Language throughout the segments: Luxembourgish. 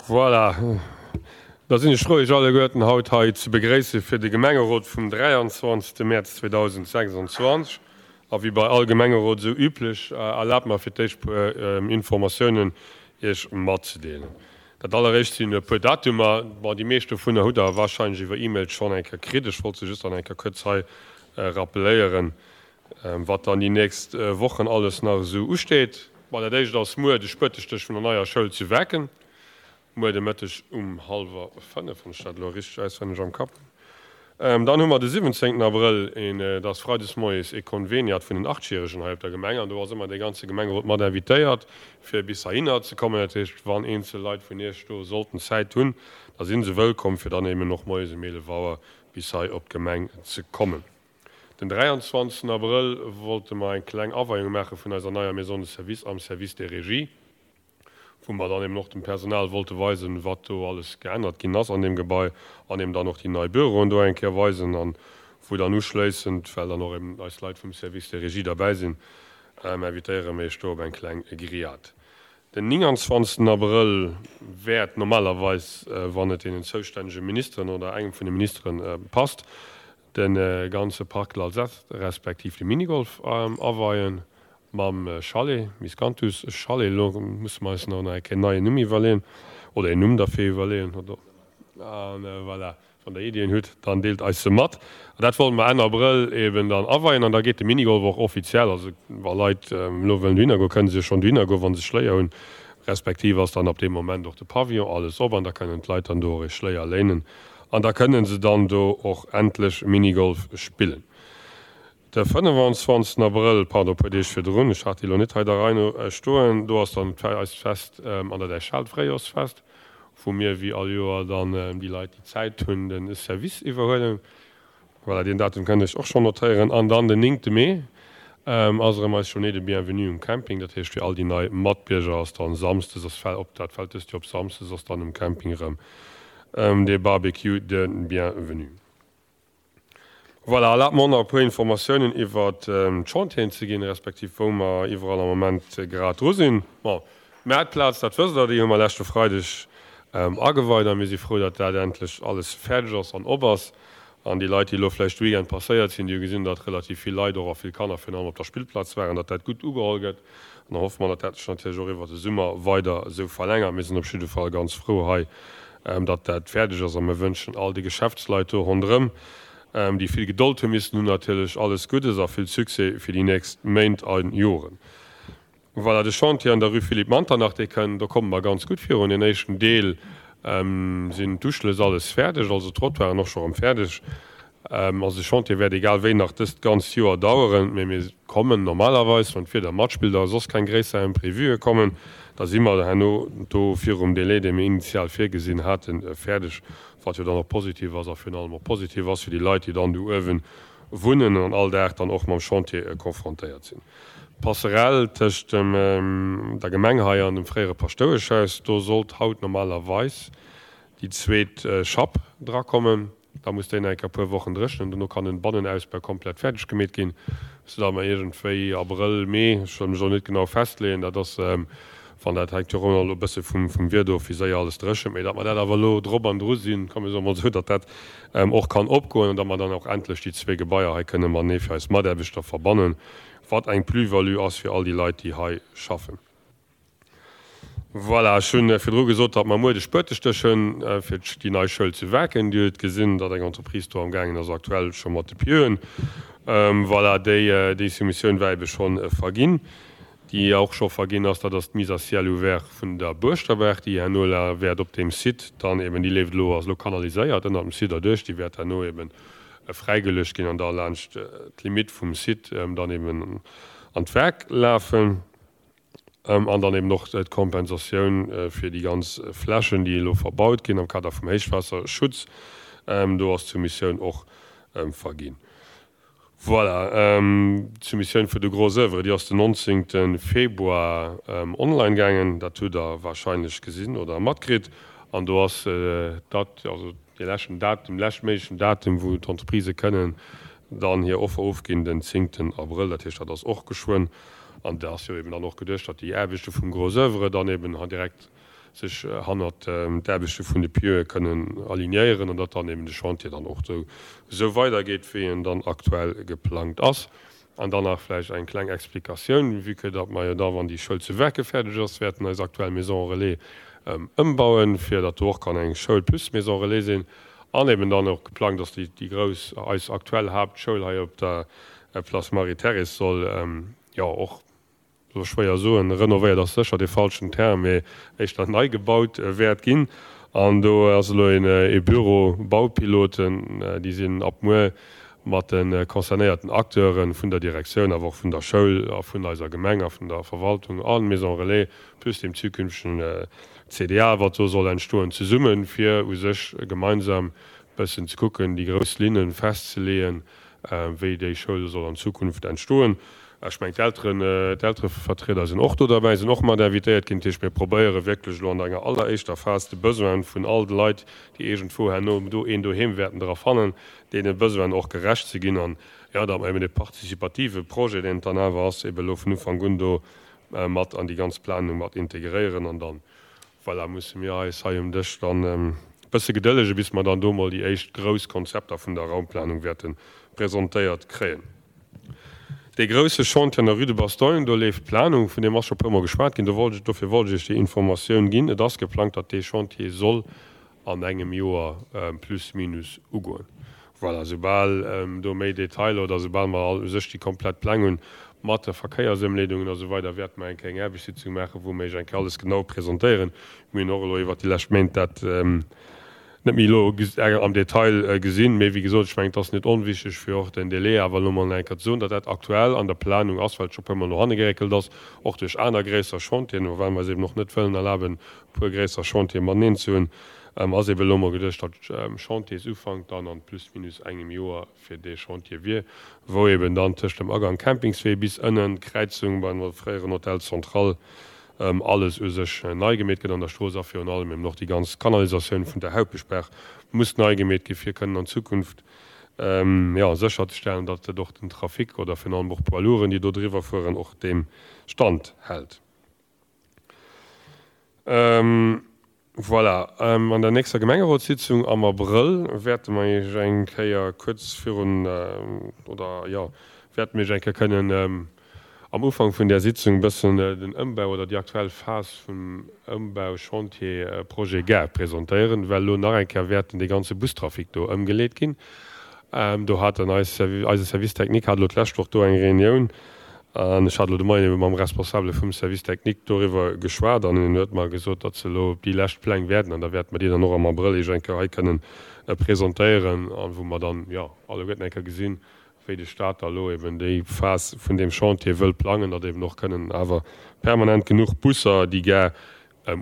Voilà, da sinn ech frou, Iech alleguerten haut hei ze begréisse fir de Gemengerot vum 23. Mäerz 2026. A wéi bei all Gemengerot esou üblech, erlaabt mer fir d'éischt puer Informatiounen Iech matzedeelen. Dat alleréischt sinn e puer Datumer. Bon, déi meescht dovunner hutt Der warscheinlech iwwer E-Mail schonn eng Kéier kritt. Ech wollt se just dann eng Kéier kuerz hei rappeléieren. Wat dann déi nächst Wochen alles nach esou usteet? Bon, dat éischt ass muer de Spuetestéch vun der neier Schoul zu Werken. Muer de Mëtteg um hallwer 5, wann ech dat elo richteg auswenneg am Kapp hunn. Dann hu mer de 17 Abrëll, een, dat ass freides moies, ee Konveniat vun den Achtjäregen hei op der Gemeng. An do ass ëmmer dee ganze Gemengerot mat invitéiert, fir bis heihinner ze kommen. Dat heescht, wann eenzel Leit vun Iech do sollten Zäit hunn, da si se wëllkomm, fir dann eben och moies um 11 Auer bis hei op d'Gemeng ze kommen. Den 23 Abrëll wollte mer eng kleng Aweiung maache vun eiser neier Maison de service am Service des Régies, wou mer dann eben och dem Personal wollte weisen, wat do alles geännert ginn ass an deem Gebai an eben dann och déi nei Büroen do eng Kéier weisen an wou dann uschléissend, well dann och eben eis Leit vum Service des Régies derbäi sinn, invitéiere mir iech do op eng kleng Grillade. Den 29 Abrëll wäert normalerweis, wann et deenen zoustännege Ministeren oder engem vun de Ministeren passt, De ganze Parc L'Alzette respektiv de Minigolf aweien mam Chalet, Miscanthus Chalet. Elo musse mer eis nach eng Kéier en neien Numm iwwerleeën oder een Numm derfir iwwerleeën. A voilà, wann der Iddien hutt, dann deelt eis se mat. An dat wollte mer Enn Abrëll eben dann aweien an da geet de Minigolf och offiziell, also wa Leit elo wëllen dohinner goen, kënne se jo schonn dohinner goen, wa se Schléier hunn, respektiv ass dann ab deem Moment och de Pavillon alles op an da kënnen d'Leit dann do och ee Schléier léinen. An da kënnen se dann do och endlech Minigolf spillen. De 25 Abrëll, pardon, e puer Deeg virdrun, ech hat déi elo net hei der Rei no stoen, do ass dann eist Fest an der Däichhal, d'Fréijorsfest, wou mir wéi all Joer dann déi Leit, déi Zäit hunn, de Service iwwerhuelen. Voilà, deen Datum kënnt Iech och schonn notéieren. An dann den 9 Mee ass erëm eis Journée de bienvenue um Camping. Dat heescht fir all déi nei Matbierger ass dann samsdes, ass op, dat fält dëst Joer op samsdes, ass dann um Camping erëm De Barbecue de bienvenue. Voilà, erlaabt mer och nach e puer Informatiounen iwwert d'Chantieren ze ginn, respektiv wou mer iwwerall am Moment grad dru sinn. Bon, d'Maartplaz, dat wësst Der, déi hu mer leschte Freideg ageweit a mir si frou, datt dat endlech alles fäerdeg ass an op ass. An déi Leit, déi elo vläicht de Weekend passéiert sinn, déi hu gesinn, datt relativ vill Leit och a vill Kanner virun allem op der Spillplaz waren, datt dat gutt ugeholl gëtt. An da hoffe mer, datt dat sech natierlech och iwwert de Summer weider esou verlängert. Mir sinn op jidde Fall ganz frou hei, datt dat fäerdeg ass. A mir wënschen all de Geschäftsleit do ronderëm, déi vill Gedold hu missen hunn, natierlech alles Guddes a vill Succès fir déi nächst Méint a Joren. Voilà, de Chantier an der Rue Philippe Manternach, dee kënn, do komme mer ganz gutt virun. Deen éischten Deel sinn d'Uschlëss alles fäerdeg, also d'Trottoiren och scho erëm fäerdeg. Also de Chantier wäert egal wéi nach dëst ganzt Joer daueren, mee mir kommen normalerweis, wann d'Wieder matspillt a soss keng gréisser Imprévue kommen, da si mer herno do virum Délai, dee mir initial virgesinn haten, fäerdeg, wat jo dann och positiv ass a virun allem och positiv ass fir déi Leit, déi dann do uewe wunnen an all Dag dann och mam Chantier konfrontéiert sinn. D'Passerelle tëscht dem der Gemeng hei an dem fréiere Paschtoueschhaus, do sollt haut normalerweis déi zweet Schapp drakommen. Da muss déi nach eng Kéier e puer Wochen dréchnen. Dono kann den Bannenausbau komplett fäerdeg gemeet ginn, soudatt mer iergendwéi Abrëll, Mee, ech wëll mech elo net genau festleeën, dat ass, wann dat hänkt jo och ëmmer elo e bësse vum Wieder of, wéi séier alles dréchent, mee datt mer dat awer elo drop an dru sinn, komm mir soe mol esou, datt dat och kann opgoen an datt mer dann och endlech déi zwee Gebaier hei kënne matenee fir eis Mataarbechter verbannen, wat eng Plus-value ass fir all déi Leit, déi hei schaffen. Voilà, ech hunn virdru gesot, datt mer muer de Spuetestéch hunn fir déi nei Schoul zu Waarken. Dir hutt gesinn, datt eng Entreprise do amgaangen ass aktuell scho mat de Pieuxen. Voilà, déi déi Soumissioun war ebe scho verginn. Déi och scho verginn ass, dat ass d'Mise à ciel ouvert vun der Buerschterberg, déi herno la wäert op deem Site dann eben, déi leeft elo, ass elo kanaliséiert ënnert dem Site erduerch, déi wäert herno eben fräigeluecht ginn an da laanscht d'Limite vum Site dann eben an d'Werk lafen. An dann eben och d'Kompensatioun fir déi ganz Flächen, déi elo verbaut ginn am Kader vum Héichwaasserschutz. Do ass d'Soumissioun och verginn. Voilà, d'Soumissioun fir de Gros oeuvre, déi ass den 19. Februar online gaangen. Dat hutt Der wahrscheinlech gesinn oder matkritt. An do ass dat, also dee leschten Datum, leschtméiglechen Datum, wou d'Entreprisë kënnen dann hir Offer ofginn, den 10. Abrëll. Dat heescht, dat ass och geschwënn. An et ass jo eben dann och geduecht, datt déi Aarbechte vum Gros oeuvre dann eben direkt. sech hannert d'Aarbechte vun de Pieue kënnen alignéieren an datt dann eben de Chantier dann och esou weidergeet, wéi en dann aktuell geplangt ass. An dann nach vläicht eng kleng Explikatioun, vue que datt mer jo da, wann déi Schoul zu Werke fäerdeg ass, wäerten eis aktuell Maison relais ëmbauen, fir datt do och kann eng Schoul plus Maison relais sinn. An eben dann och geplangt ass, déi déi grouss, eis aktuell Haaptschoul hei op der Place Marie-Thérèse soll jo och, soll schwéier soen, renovéiert ass sécher dee falschen Term, mee éischter nei gebaut wäert ginn. An do ass elo ee Büro Baupiloten, déi sinn ab muer mat de concernéierten Acteure vun der Direktioun, awer och vun der Schoul a vun eiser Gemeng a vun der Verwaltung a Maison Relais plus deem zukünftegen CDA, wat do soll entstoen, zesummen, fir u sech gemeinsam bëssen ze kucken, déi grouss Linne festzeleeën, wéi déi Schoul soll an Zukunft entstoen. Ech mengen, d'Elteren, d'Elterevertrieder sinn och do derbäi, sinn och mat invitéiert ginn. Dat heescht, mir probéiere wierklech elo an enger alleréischter Phas de Besoin vun all de Leit, déi iergendwou herno do een Doheem wäerten dra fannen, deene Besoinen och gerecht ze ginn. An, jo, datt mer eben dee participative Projet, deen et dann awer ass, eben elo vun Ufank un do mat an déi ganz Planung mat integréieren. An dann, voilà, musse mir eis hei um Dësch dann e bësse gedëllegen, bis mer dann do mol déi éischt grouss Konzepter vun der Raumplanung wäerte presentéiert kréien. Dee grousse Chantier an der Rue de Bastogne, do leeft d'Planung, vun deem ass scho e puermol geschwat ginn. Do wollt ech, dofir wollt ech Iech déi Informatioun ginn. Et ass geplangt, datt dee Chantier soll an engem Joer plus minus ugoen. Voilà, soubal do méi Detailer oder soubal mer all u sech déi komplett Pläng hunn, mat de Verkéiersëmleedungen a sou weider, wäerte mer eng Kéier eng Aarbechtssitzung maachen, wou mer Iech eng Kéier alles genau presentéieren. Mir hunn och elo iwwert déi lescht Méint dat net méi elo am Detail gesinn, mee wéi gesot, ech mengen, et ass net onwichtig, fir och den Délai awer elo mol nach eng Kéier ze soen, datt dat aktuell an der Planung ass, well et scho e puermol no hanne geréckelt ass, och duerch aner gréisser Chantieren, well mer eis eben och net wëllen erlaben, e puer gréisser Chantiere mateneen ze hunn, ass eben elo mol geduecht, datt Chantiersufank dann an plus minus engem Joer fir dee Chantier wier, wou eben dann tëscht dem Agang Campingswee bis ënnen d'Kräizung beim fréieren Hotel Central alles u sech nei gemeet gëtt an der Strooss a virun allem eben och déi ganz Kanalisatioun vun der Haupeschbaach muss nei gemeet gi fir kënnen an Zukunft jo sécherzestellen, datt et och den Trafic oder virun allem och d'Poids lourden, déi do driwwer fueren, och deem Stand hält. Voilà, an der nächster Gemengerotssitzung am Abrëll wäerte mer Iech eng Kéier kuerz virun, oder jo, wäerte mir Iech eng Kéier kënnen am Ufank vun där Sitzung e bëssen den Ëmbau oder déi aktuell Phas vum Ëmbauchantier Projet Gare presentéieren, well elo nach eng Kéier wäerten dee ganze Bustrafic do ëmgeleet ginn. Do haten eis, eise Service technique hat elo d'lescht Woch do eng Reunioun An ech hat elo de Moien ebe mam Responsabele vum Service technique doriwwer geschwat an en huet mer gesot, datt se elo op déi lescht Pläng wäerten an da wäerte mer déi dann och am Abrëll Iech eng Kéier hei kënnen presentéieren a wou mer dann, jo, alleguerten eng Kéier gesinn, wéi de Stat da elo eben déi Phas vun deem Chantier wëll plangen, datt eben och kënnen awer permanent genuch Busser déi Gare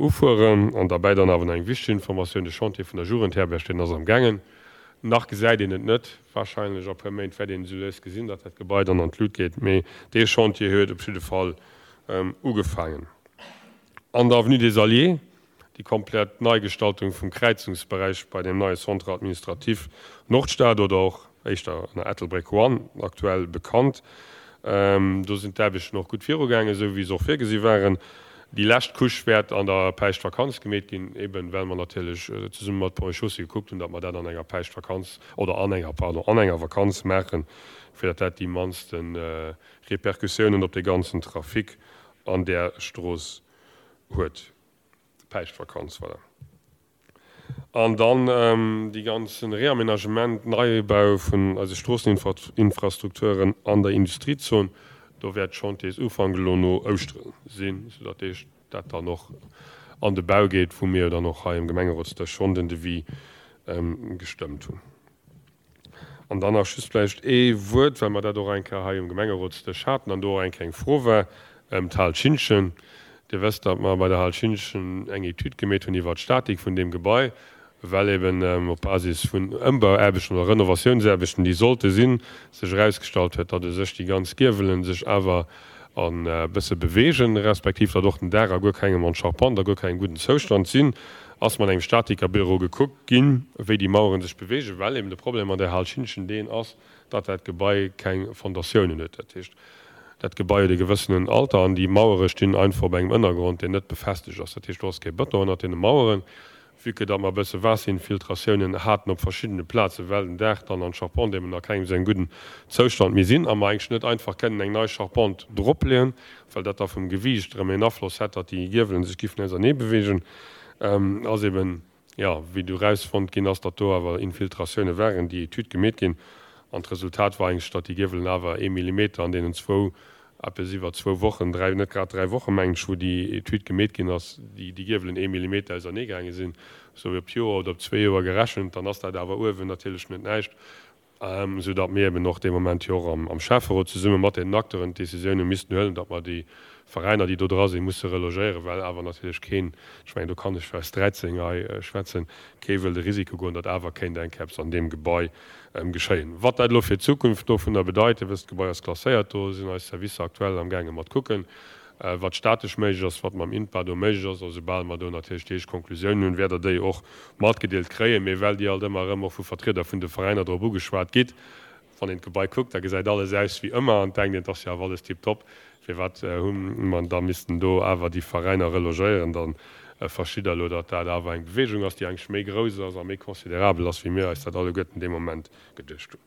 Ufueren. An derbäi dann awer nach eng wichteg Informatioun, De Chantier vun der Jugendherberg, deen ass am gaangen. Nach gesäit een et net, warscheinlech a puer Méint wäert een esou lues gesinn, datt dat Gebai dann an d'Lut geet, mee dee Chantier huet op jidde Fall ugefaangen. An der Avenue des Alliés, déi komplett Neigestaltung vum Kräizungsberäich bei dem neie Centre administratif Nordstad oder och éischter ënner Ettelbréck One aktuell bekannt. Do sinn d'Aarbechten och gutt virugaangen, esou wéi se och virgesi waren. Déi lescht Couche wäert an der Päischtvakanz gemeet ginn, eben well mer natierlech zesumme mat Ponts et Chaussées gekuckt hunn, datt mer dat an enger Päischtvakanz, oder an enger, pardon, an enger Vakanz maachen, fir datt dat déi mannste Repercussiounen op de ganzen Trafic an där Strooss huet. Päischtvakanz, voilà. An dann dee ganze Réaménagement, Neibau vun eise Stroosseninfrastrukturen an der Industriezon, do wäert Chantiersufank elo no Ouschtere sinn, soudatt dee dat dann och an de Bau geet, wou mir jo dann och hei am Gemengerotsdësch schonn den Devis gestëmmt hunn. An dann nach just vläicht ee Wuert, well mer dat och eng Kéier hei um Gemengerotsdësch haten an do och eng Kéier eng Fro war, ëm d'Hal Schintgen. Dir wësst, datt mer bei der Hal Schintgen eng Etüd gemeet hunn iwwert d'Statik vun deem Gebai, well eben op Basis vun Ëmbauaarbechten oder Renovatiounsaarbechten, déi sollte sinn, sech erausgestallt huet, datt u sech déi ganz Giewelen sech awer e bësse beweegen, respektiv datt och den Daach a guer kengem, an d'Charpente a guer kengem gudden Zoustand sinn. Ass mat engem Statikerbüro gekuckt ginn, wéi déi Maueren sech beweegen, well eben de Problem an där Hal Schintgen deen ass, datt dat Gebai keng Fondatiounen huet. Dat heescht, Dat Gebai huet e gewëssenen Alter an déi Mauere stinn einfach op engem Ënnergrond, deen net befestegt ass. Dat heescht, do ass kee Bëton ënnert deene Maueren. Vue que datt mer e bësse Waasserinfiltratiounen haten op verschiddene Plazen, well den Daach dann an d'Charpente eben a kengem esou engem gudden Zoustand méi sinn a mer eigentlech net einfach kënnen eng nei Charpente dropleeën, well dat da vum Gewiicht erëm een Afloss hätt, datt déi Giewelen sech giffen ausernee beweegen, ass eben, jo, wéi du erausfonnt ginn ass, datt do awer Infiltratioune waren, déi Etüd gemeet ginn an d'Resultat war eigentlech, datt déi Giewelen awer ee Millimeter an deenen zwou eppes iwwer zwou Wochen, dräi, net grad dräi Wochen, mengen ech, wou déi Etüd gemeet ginn ass, déi déi Giewelen ee Millimeter auserneegaange sinn, sou op d'Joer oder op zwee Joer gerechent, dann ass dat awer uewen natierlech net näischt, sou datt mir eben och dee Moment jo och am Schäfferot zesumme mat deenen Acteuren d'Décisioun hu missten huelen, datt mer déi Veräiner, déi do dra sinn, musse relogéieren, well awer natierlech keen, ech mengen, do kann ech fir eis 13 hei schwätzen, kee wëll de Risiko goen, datt awer kéint eng Kéier eppes an deem Gebai geschéien. Wat dat elo fir d'Zukunft dovunner bedeit, Dir wësst, d'Gebai ass klasséiert, do sinn eis Servicer aktuell am gaange mat kucken, wat statesch méiglech ass, wat mam INPA do méiglech ass. A soubal mer do natierlech déi éischt Konklusiounen hunn, wäert Der déi och matgedeelt kréien. Mee well Dir alt ëmmer erëm och vu Vertrieder vun de Veräiner drop ugeschwat gitt, wann een d'Gebai kuckt, da gesäit alles aus wéi ëmmer an denkt een, et ass jo awer alles tiptop, Firwat hu mer da missten do awer déi Veräiner relogéieren? Da verstitt Der elo, datt dat awer eng Bewegung ass, déi eigentlech méi grouss ass a méi considerabel ass, wéi mir eis dat alleguerten dee Moment geduecht hunn.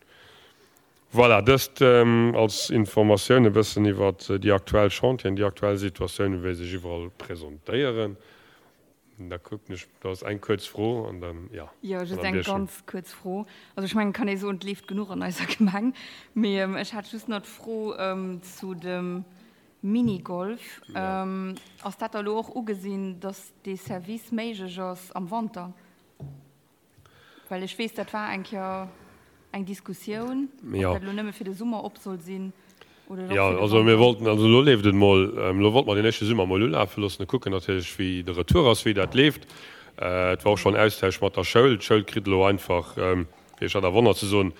Voilà, dëst als Informatioun e bëssen iwwert déi aktuell Chantieren, déi aktuell Situatioun, wéi se sech iwwerall presentéieren. Da kucken ech, do ass eng kuerz Fro an dann, jo. Jo, just eng ganz kuerz Fro. Also ech mengen, et kann ee soen, et leeft genuch an eiser Gemeng. Mee ech hat just nach d'Fro zu dem Minigolf. Ass dat da elo och ugesinn, datt dee Service méiglech ass am Wanter? Well ech weess, dat war eng Kéier eng Diskussioun, ob dat elo nëmme fir de Summer op soll sinn oder och fir de Wanter. Jo, also mir wollten, also elo leeft et emol, elo wollte mer deen éischte Summer emol ulafe loossen a kucken natierlech, wéi de Retour ass, wéi dat leeft. Et war och schonn Austausch mat der Schoul. D'Schoul kritt elo einfach, fir iech dat a Wonner ze soen,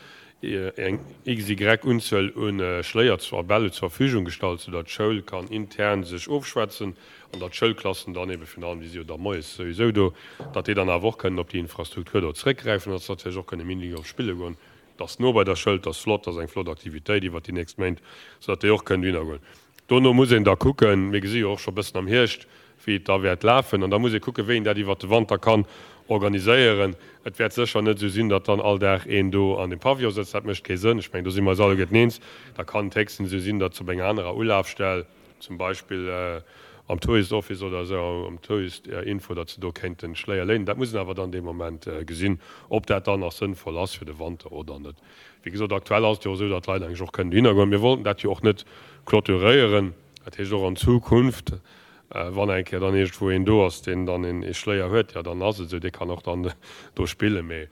eng XY Unzuel u Schléier a Bäll zur Verfügung gestallt, soudatt d'Schoul kann intern sech ofschwätzen an datt d'Schoulklassen dann ebe virun allem, déi si jo da moies souwisou do, datt déi dann awer och kënnen op déi Infrastruktur do zréckgräifen, datt se natierlech och kënne Minigolf spille goen. Et ass no bei der Schoul, et ass flott, et ass eng flott Aktivitéit iwwert déi nächst Méint, soudatt déi och kënnen dohinner goen. Dono muss een da kucken, mir gesi jo och scho bëssen am Hierscht, wéi et da wäert lafen, an da muss ee kucken, wéi een dat iwwert de Wanter kann organiséieren. Et wäert sécher net esou sinn, datt dann all Dag een do an dem Pavillon sëtzt, dat mécht kee Sënn. Ech mengen, do si mer eis alleguerten eens. Da kann et héchstens esou sinn, datt se op enger anerer Ulafstell, zum Beispill am Tourist Office oder esou, am Tourist Info, datt se do kéinten Schléier léinen. Dat muss een awer dann dee Moment gesinn, ob dat dann nach sënnvoll ass fir de Wanter oder net. Wéi gesot, aktuell ass et jo och esou, datt d'Leit eigentlech och kënnen dohinner goen. Mir wollten dat jo och net clôturéieren. Dat heescht och an Zukunft, wann eng Kéier dann iergendwou een do ass, deen dann ee Schléier huet, jo dann ass et esou, dee kann och dann do spillen. Mee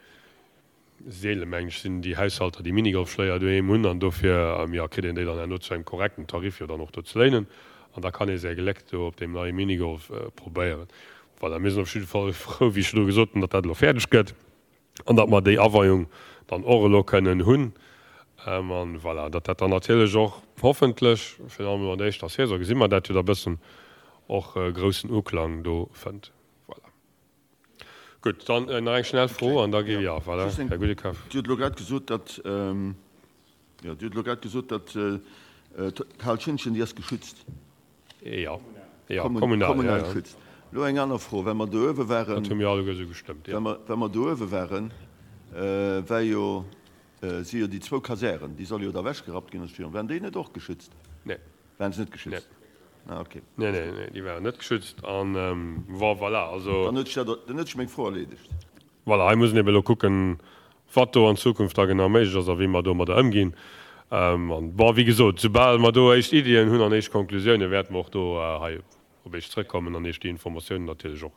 Seelen, mengen ech, sinn déi Haushalter, déi Minigolfschléier doheem hunn an dofir, jo, kritt een déi dann herno zu engem korrekten Tarif jo dann och do ze léinen an da kann ee säi Gléck do op deem neie Minigolf probéieren. Voilà, mir sinn op jidde Fall frou, wéi ech elo gesot hunn, datt dat elo fäerdeg gëtt an datt mer déi Aweiung dann och elo kënnen hunn an voilà, datt dat dann natierlech och hoffentlech, virun allem elo an der éischter Saison gesi mer dat jo da bëssen, och groussen Uklang do fënnt. Voilà. Gutt, dann nach eng schnell Fro an da gi, jo, voilà, Här Guddekoff. Dir hutt elo grad gesot, datt, jo, Dir hutt elo grad gesot, datt d'Hal Schënnchen, déi ass geschützt. Jo, jo, kommunal, kommunal geschützt. Elo eng aner Fro, Well mer do uewe waren. Dat hu mir alleguer esou gestëmmt, jo. Well mer do uewe waren, war jo, si jo déi zwou Kasären, déi solle jo da ewechgerappt ginn, waren déi net och geschützt? Nee. Waren se net geschützt? Nee. Ah, okay. Nee, nee, nee, déi waren net geschützt. An, bon, voilà, also. Dann huet sech dat, dann huet sech meng Fro erleedegt. Voilà, hei muss een eben elo kucken, wat do an Zukunft da genau méiglech ass a wéi mer domadder ëmginn. An, bon, wéi gesot, soubal mer do éischt Iddien hunn an éischt Konklusiounen, wäerte mer och do hei op Iech zrëckkommen an Iech déi Informatiounen natierlech och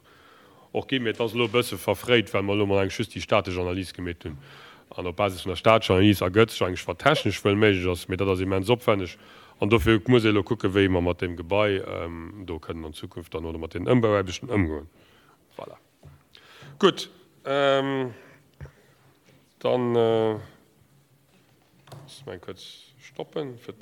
och ginn. Mee et ass elo e bësse verfréit, well mer elo mol eigentlech just déi statesch Analys gemeet hunn. An op Basis vun der statescher Analys ergëtt sech eigentlech, wat technesch wuel méiglech ass, mee dat ass immens opwänneg. An dofir muss ee elo kucken, wéi mer mat deem Gebai do kënnen an Zukunft dann oder mat deenen Ëmbauaarbechten ëmgoen. Voilà. Gutt, dann loosse mer eng kuerz stoppen, fir.